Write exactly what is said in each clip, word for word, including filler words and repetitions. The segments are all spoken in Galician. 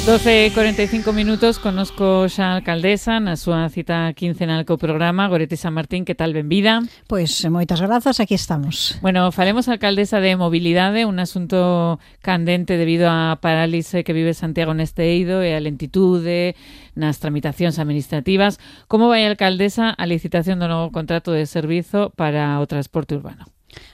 doce e cuarenta e cinco minutos, conozco xa a alcaldesa na súa cita quincenal co programa. Goretti San Martín, que tal, benvida? Pois moitas grazas, aquí estamos. Bueno, falemos, alcaldesa, de mobilidade, un asunto candente debido á parálise que vive Santiago neste eido e a lentitude nas tramitacións administrativas. Como vai, alcaldesa, a licitación do novo contrato de servizo para o transporte urbano?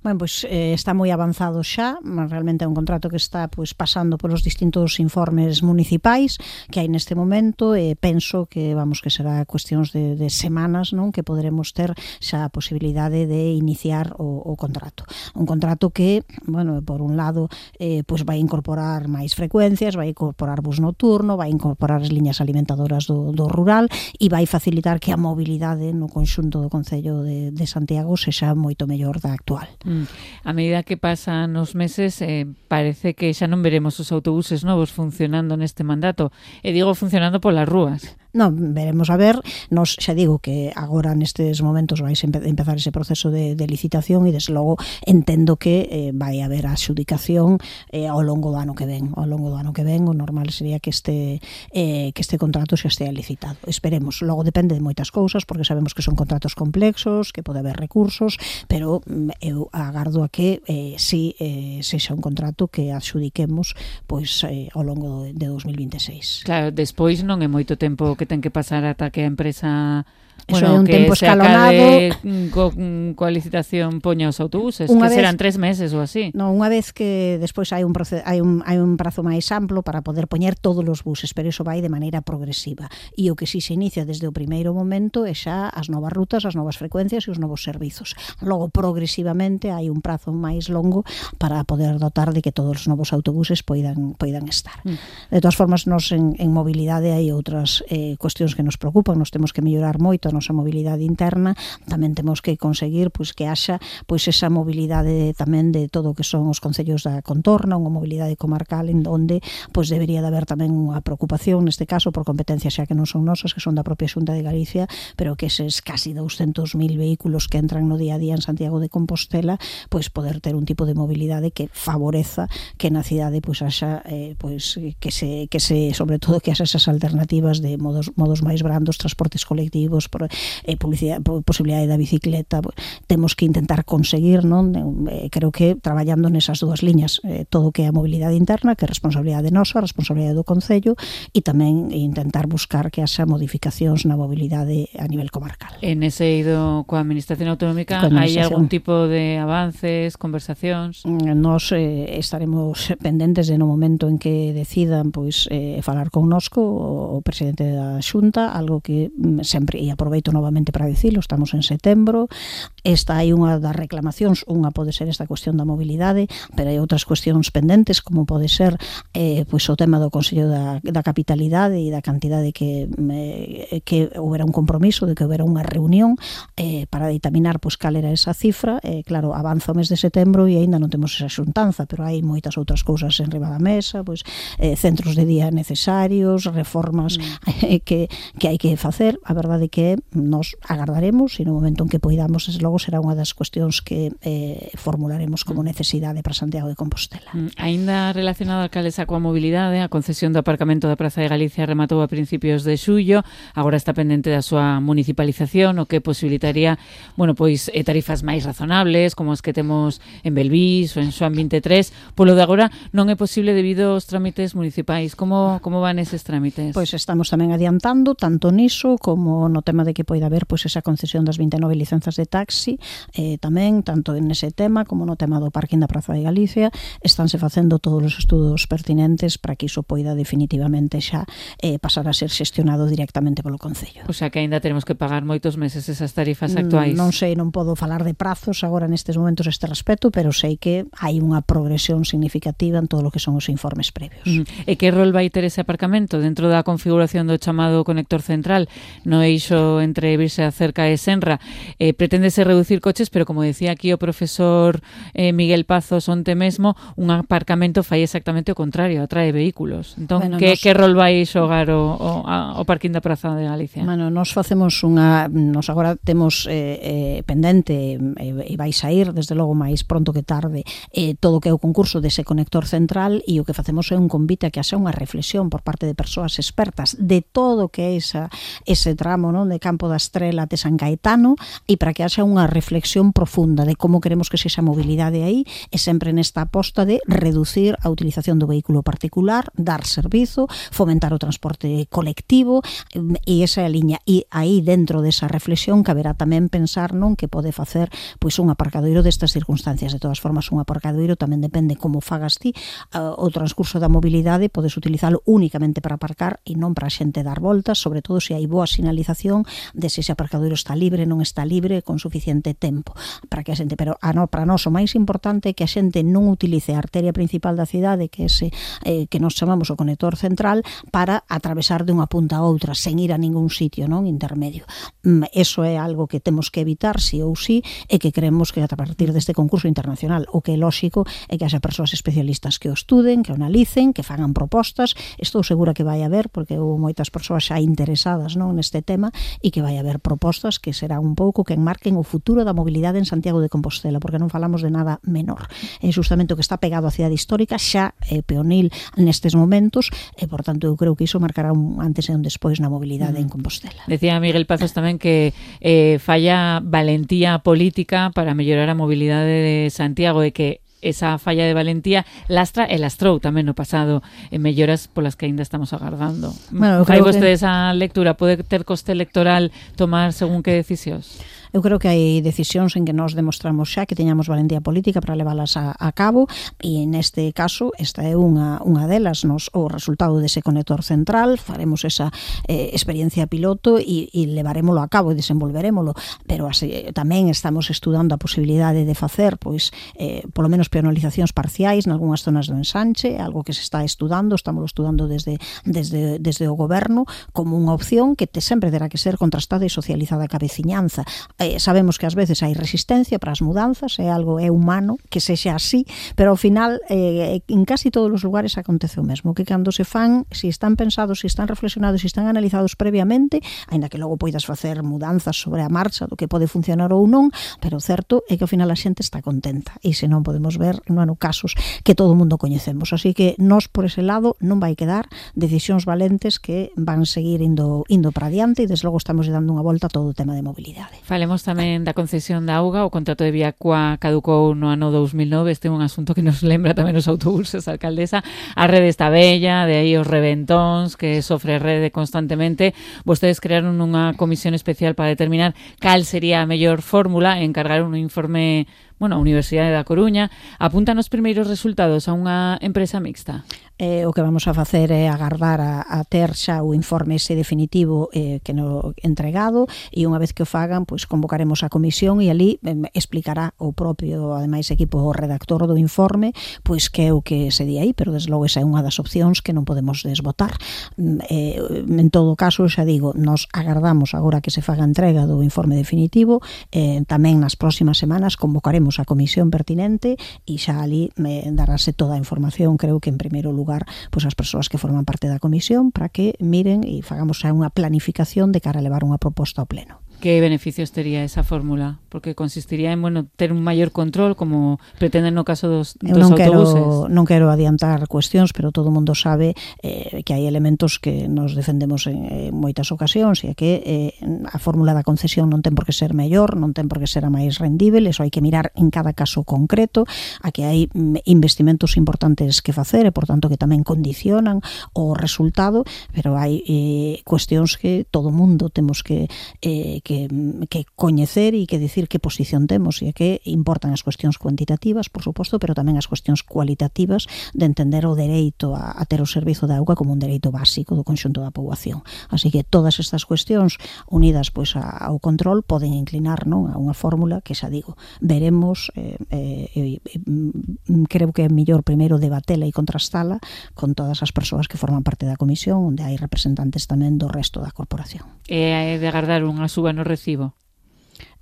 Bueno, pois eh, está moi avanzado xa, realmente é un contrato que está pois pasando polos distintos informes municipais que hai neste momento e eh, penso que vamos que será cuestións de, de semanas, non, que poderemos ter xa a posibilidade de iniciar o, o contrato. Un contrato que, bueno, por un lado eh, pois vai incorporar máis frecuencias, vai incorporar bus nocturno, vai incorporar as liñas alimentadoras do, do rural e vai facilitar que a mobilidade no conxunto do Concello de, de Santiago sexa moito mellor da actual. Mm. A medida que pasan os meses, eh, parece que xa non veremos os autobuses novos funcionando neste mandato. E digo funcionando polas rúas. Non, veremos a ver. Nos xa digo que agora nestes momentos vais empe empezar ese proceso de, de licitación e desde logo entendo que eh, vai haber a adxudicación eh, ao longo do ano que ven. Ao longo do ano que ven o normal sería que este eh, que este contrato xa estea licitado. Esperemos. Logo depende de moitas cousas porque sabemos que son contratos complexos, que pode haber recursos, pero eu agardo a que eh, si eh, sexa un contrato que adxudiquemos pois eh, ao longo de dos mil vinte e seis. Claro, despois non é moito tempo que ten que pasar ata que a empresa, eso bueno, é un que tempo se escalonado, acabe co, coa licitación poña os autobuses, unha que vez, serán tres meses ou así. Non, unha vez que despois hai un, hai, un, hai un prazo máis amplo para poder poñer todos os buses, pero iso vai de maneira progresiva. E o que si se inicia desde o primeiro momento é xa as novas rutas, as novas frecuencias e os novos servizos. Logo, progresivamente, hai un prazo máis longo para poder dotar de que todos os novos autobuses poidan, poidan estar. Mm. De todas formas, nos en, en mobilidade hai outras eh, cuestións que nos preocupan, nos temos que mellorar moito a nosa mobilidade interna, tamén temos que conseguir pois que haxa pois esa mobilidade tamén de todo o que son os concellos da contorna, unha mobilidade comarcal en onde pois debería de haber tamén unha preocupación neste caso por competencias xa que non son nosas, que son da propia Xunta de Galicia, pero que eses casi douscentos mil vehículos que entran no día a día en Santiago de Compostela, pois poder ter un tipo de mobilidade que favoreza que na cidade pois haxa eh, pois que se que se sobre todo que haxa esas alternativas de modos modos máis brandos, transportes colectivos, por, eh, publicidade, posibilidade da bicicleta. Temos que intentar conseguir, non? Eh, creo que traballando nesas dúas liñas, eh, todo o que é a mobilidade interna, que é responsabilidade nosa, responsabilidade do Concello, e tamén intentar buscar que haxa modificacións na mobilidade a nivel comarcal. En ese eido coa Administración Autonómica hai algún tipo de avances, conversacións? Nos eh, estaremos pendentes de no momento en que decidan pois eh, falar connosco o, o presidente da Xunta, algo que sempre, e aproveito novamente para dicilo, estamos en setembro, esta hai unha das reclamacións, unha pode ser esta cuestión da mobilidade, pero hai outras cuestións pendentes, como pode ser eh, pois o tema do Consello da, da Capitalidade e da cantidade que eh, que houbera un compromiso de que houbera unha reunión eh, para ditaminar pois cal era esa cifra. Eh, claro, avanza o mes de setembro e aínda non temos esa xuntanza, pero hai moitas outras cousas en riba da mesa, pois eh, centros de día necesarios, reformas mm. eh, que, que hai que facer. A verdade que nos agardaremos e no momento en que poidamos, desde logo será unha das cuestións que eh, formularemos como necesidade para Santiago de Compostela. Mm. Ainda relacionado, alcaldesa, coa mobilidade, a concesión do aparcamento da Praza de Galicia rematou a principios de xullo, agora está pendente da súa municipalización, o que posibilitaría, bueno, pois eh, tarifas máis razonables, como as que temos en Belvís ou en Xoán vinte e tres. Polo de agora non é posible debido aos trámites municipais. Como, como van eses trámites? Pois estamos tamén adiantando, tanto niso como no tema de que poida haber pois esa concesión das vinte e nove licenzas de taxi, eh, tamén, tanto en ese tema como no tema do parking da Praza de Galicia, estánse facendo todos os estudos pertinentes para que iso poida definitivamente xa eh, pasar a ser xestionado directamente polo Concello. O sea que aínda tenemos que pagar moitos meses esas tarifas actuais. Non sei, non podo falar de prazos agora nestes momentos a este respecto, pero sei que hai unha progresión significativa en todo o que son os informes previos. Mm. E que rol vai ter ese aparcamento dentro da configuración do chamado conector central no eixo aparcamento entre Virxe da Cerca e Senra, eh, preténdese reducir coches, pero como decía aquí o profesor eh, Miguel Pazos onte mesmo, un aparcamento fai exactamente o contrario, atrae vehículos. Entón, bueno, que, nos... que rol vai xogar o, o, a, o parquín da Praza de Galicia? Bueno, nos facemos unha, nos agora temos eh, eh, pendente e eh, vai sair, desde logo máis pronto que tarde, eh, todo o que é o concurso dese conector central, e o que facemos é un convite a que haxa unha reflexión por parte de persoas expertas de todo o que é esa, ese tramo, non, de Campo da Estrela de San Caetano, e para que haxa unha reflexión profunda de como queremos que sexa a mobilidade aí, e sempre nesta aposta de reducir a utilización do vehículo particular, dar servizo, fomentar o transporte colectivo, e esa é a liña. E aí dentro desa reflexión caberá tamén pensar non que pode facer pois un aparcadoiro destas circunstancias. De todas formas, un aparcadoiro tamén depende como fagas ti, o transcurso da mobilidade podes utilizalo únicamente para aparcar e non para a xente dar voltas, sobre todo se hai boa sinalización de se ese aparcadoiro está libre, non está libre, con suficiente tempo para que a xente, pero a no, para nós o máis importante é que a xente non utilice a arteria principal da cidade, que é ese eh, que nos chamamos o conector central, para atravesar de unha punta a outra sen ir a ningún sitio, non, intermedio. Mm, eso é algo que temos que evitar sí ou sí, e que creemos que a partir deste concurso internacional o que é lóxico é que haxa persoas especialistas que o estuden, que o analicen, que fagan propostas. Estou segura que vai haber, porque houve moitas persoas xa interesadas, non, neste tema, e que vai haber propostas que serán un pouco que enmarquen o futuro da mobilidade en Santiago de Compostela, porque non falamos de nada menor. É justamente o que está pegado á cidade histórica, xa é peonil nestes momentos, e por tanto eu creo que iso marcará un antes e un despois na mobilidade mm. en Compostela. Decía Miguel Pazos tamén que eh, falla valentía política para mellorar a mobilidade de Santiago, e que esa falla de valentía lastra e lastrou tamén no pasado en melloras polas que aínda estamos agardando. Bueno, fai vostede que... esa lectura? Pode ter coste electoral tomar según que decisións? Eu creo que hai decisións en que nós demostramos xa que teñamos valentía política para leválas a, a cabo, e neste caso esta é unha, unha delas. Nos, o resultado dese conector central, faremos esa eh, experiencia piloto e, e levarémolo a cabo e desenvolverémolo, pero así, tamén estamos estudando a posibilidade de facer pois eh, polo menos penalizacións parciais nalgúnas zonas do ensanche, algo que se está estudando, estamos estudando desde, desde, desde o goberno como unha opción que te sempre terá que ser contrastada e socializada ca veciñanza. Eh, sabemos que ás veces hai resistencia para as mudanzas, é algo, é humano que sexa así, pero ao final eh, en casi todos os lugares acontece o mesmo, que cando se fan, se están pensados, se están reflexionados, se están analizados previamente, aínda que logo poidas facer mudanzas sobre a marcha do que pode funcionar ou non, pero o certo é que ao final a xente está contenta, e se non podemos ver, non hai casos que todo o mundo coñecemos, así que nós por ese lado non vai quedar decisións valentes que van seguir indo, indo para adiante, e desde logo estamos dando unha volta a todo o tema de mobilidade. Falemos tamén da concesión da auga. O contrato de Viacua caducou no ano dous mil nove. Este é un asunto que nos lembra tamén os autobuses, alcaldesa. A rede está bella, de aí os reventóns que sofre a rede constantemente. Vostedes crearon unha comisión especial para determinar cal sería a mellor fórmula e encargaron un informe, bueno, a Universidade da Coruña. Apuntan os primeiros resultados a unha empresa mixta? Eh, o que vamos a facer é agardar a, a ter xa o informe ese definitivo eh, que no entregado, e unha vez que o fagan, pois convocaremos a comisión e ali eh, explicará o propio, ademais, equipo o redactor do informe, pois que é o que se di aí, pero desde logo esa é unha das opcións que non podemos desbotar. Eh, en todo caso, xa digo, nos agardamos agora que se faga entrega do informe definitivo, eh, tamén nas próximas semanas convocaremos a comisión pertinente e xa ali me darase toda a información, creo que en primeiro lugar pois as persoas que forman parte da comisión, para que miren e fagamos xa unha planificación de cara a levar unha proposta ao pleno. Que beneficios tería esa fórmula? Porque consistiría en, bueno, ter un maior control, como pretenden no caso dos, dos non autobuses. Quero, non quero adiantar cuestións, pero todo o mundo sabe eh, que hai elementos que nos defendemos en, en moitas ocasións, e que eh, a fórmula da concesión non ten por que ser mellor, non ten por que ser a máis rendível, eso hai que mirar en cada caso concreto, a que hai investimentos importantes que facer, e por tanto que tamén condicionan o resultado, pero hai eh, cuestións que todo o mundo temos que, eh, que, que coñecer e que dicir que posición temos, e que importan as cuestións cuantitativas, por suposto, pero tamén as cuestións cualitativas de entender o dereito a, a ter o servizo de auga como un dereito básico do conxunto da poboación. Así que todas estas cuestións unidas pois a, ao control poden inclinar, non, a unha fórmula que xa digo, veremos, eh, eh, eh, creo que é mellor primeiro debatela e contrastala con todas as persoas que forman parte da comisión, onde hai representantes tamén do resto da corporación. E de agardar unha suba no recibo?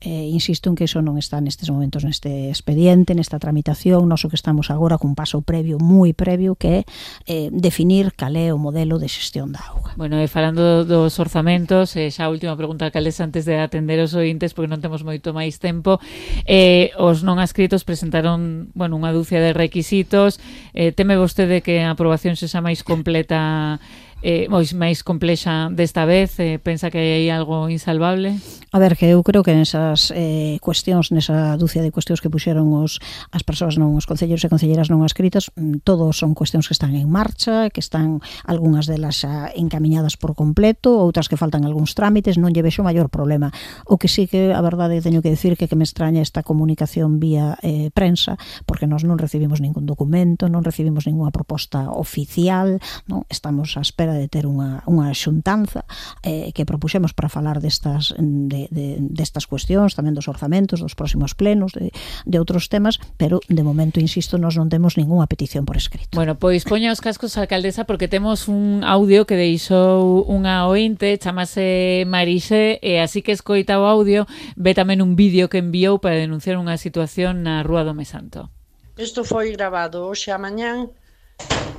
Eh, insisto en que iso non está nestes momentos neste expediente, nesta tramitación. Noso que estamos agora cun paso previo, moi previo, que é eh, definir cal é o modelo de xestión da auga. Bueno, e falando dos orzamentos, eh, xa a última pregunta, alcaldesa, antes de atender os ointes, porque non temos moito máis tempo, eh, os non adscritos presentaron, bueno, unha dúcia de requisitos. Eh, teme vostede que a aprobación sexa máis completa, eh, máis complexa desta vez? Eh, pensa que hai algo insalvable? A ver, que eu creo que nesas eh, cuestións, nesa dúcia de cuestións que puxeron os, as persoas non, os concelleiros e concelleiras non adscritas, todos son cuestións que están en marcha, que están algunhas delas xa encamiñadas por completo, outras que faltan algúns trámites, non lle vexo maior problema. O que sí que, a verdade, teño que decir que, que me extraña esta comunicación vía eh, prensa, porque nós non recibimos ningún documento, non recibimos ninguna proposta oficial, non? Estamos á espera de ter unha, unha xuntanza eh, que propuxemos para falar destas de, de, destas cuestións, tamén dos orzamentos, dos próximos plenos, de, de outros temas, pero de momento, insisto, nós non temos ningunha petición por escrito. Bueno, pois poña os cascos, alcaldesa, porque temos un audio que deixou unha ointe, chamase Marise, e así que escoita o audio, ve tamén un vídeo que enviou para denunciar unha situación na Rúa do Mesanto. Isto foi grabado hoxe a mañán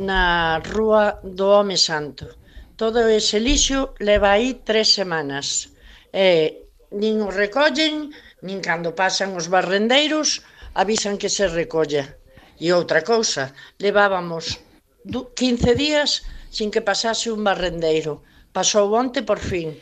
na Rúa do Home Santo. Todo ese lixo leva aí tres semanas. E nin o recollen, nin cando pasan os barrendeiros avisan que se recolla. E outra cousa, levábamos quince días sin que pasase un barrendeiro. Pasou onte por fin.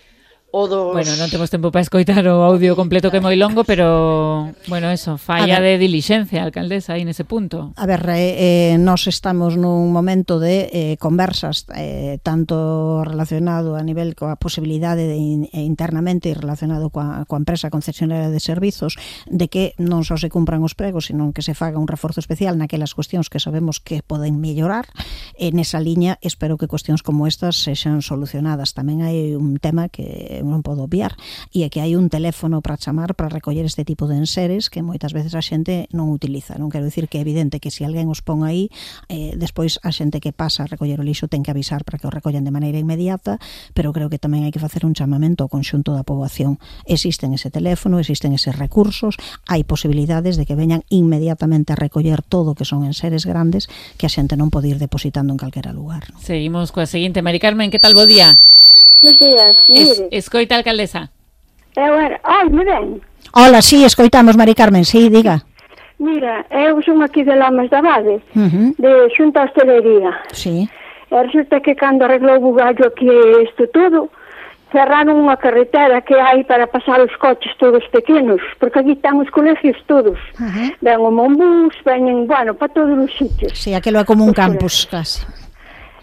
O dos... Bueno, non temos tempo para escoitar o audio completo que é moi longo, pero, bueno, eso, falla de dilixencia, alcaldesa, aí nese punto. A ver, eh, nós estamos nun momento de eh, conversas, eh, tanto relacionado a nivel coa posibilidade de in, internamente e relacionado coa, coa empresa concesionaria de servizos, de que non só se cumpran os pregos, sino que se faga un reforzo especial naquelas cuestións que sabemos que poden mellorar. E nesa liña, espero que cuestións como estas sexan solucionadas. Tamén hai un tema que non podo obviar, e é que hai un teléfono para chamar para recoller este tipo de enseres que moitas veces a xente non utiliza. Non quero dicir que é evidente que se alguén os pon aí, eh, despois a xente que pasa a recoller o lixo ten que avisar para que o recollen de maneira inmediata, pero creo que tamén hai que facer un chamamento ao conxunto da poboación. Existen ese teléfono, existen eses recursos, hai posibilidades de que veñan inmediatamente a recoller todo o que son enseres grandes que a xente non pode ir depositando en calquera lugar. Non? Seguimos coa seguinte. Mari Carmen, que tal, bo día? Buenos días, mire. Es, escoita, alcaldesa. Eu era... Ai, me ven. Hola, sí, escoitamos, Mari Carmen, sí, diga. Mira, eu son aquí de Lamas da Vade, Uh-huh. de Xunta Hostelería. Sí. E resulta que cando arreglou o gallo aquí isto todo, cerraron unha carretera que hai para pasar os coches todos pequenos, porque aquí están os colegios todos. Uh-huh. Ven o Monbús, veñen, bueno, para todos os sitios. Sí, aquilo é como un campus, casi.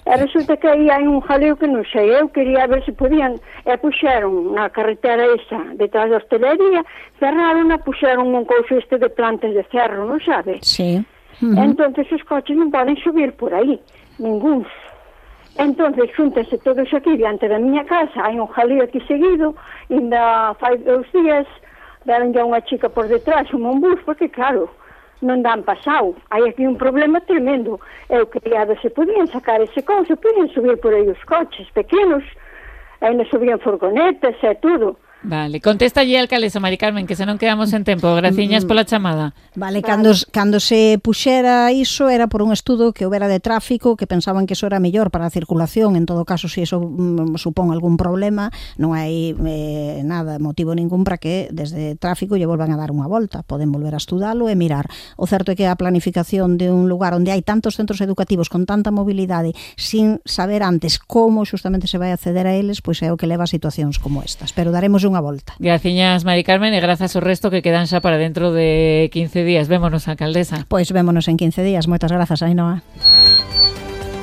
E resulta que aí hai un jaleo que non sei, eu quería ver se podían, e puxeron na carretera esa, detrás da hostelería, cerraron, e puxeron un couso este de plantas de cerro, non sabe? Sí. Uh-huh. Entonces os coches non poden subir por aí, ningúns. Entonces xúntense todos aquí diante da miña casa, hai un jaleo aquí seguido, e ainda fai dous días, deron ya unha chica por detrás, un monbús, porque claro, non dan pasado. Hai aquí un problema tremendo. Eu quería ver se podían sacar ese couso, podían subir por aí os coches pequenos, ainda subían furgonetas e tudo. Vale, contesta allí, alcaldesa Mari Carmen, que se non quedamos en tempo. Graciñas pola chamada. Vale, cando, cando se puxera iso era por un estudo que houbera de tráfico, que pensaban que iso era mellor para a circulación. En todo caso, se iso mm, supón algún problema, non hai eh, nada, motivo ningún para que desde tráfico lle volvan a dar unha volta. Poden volver a estudalo e mirar. O certo é que a planificación de un lugar onde hai tantos centros educativos con tanta mobilidade, sin saber antes como xustamente se vai acceder a eles, pois é o que leva a situacións como estas. Pero daremos unha volta. Graciñas, Mari Carmen, e grazas ao resto que quedan xa para dentro de quince días. Vémonos, alcaldesa. Pois vémonos en quince días. Moitas grazas, Ainhoa.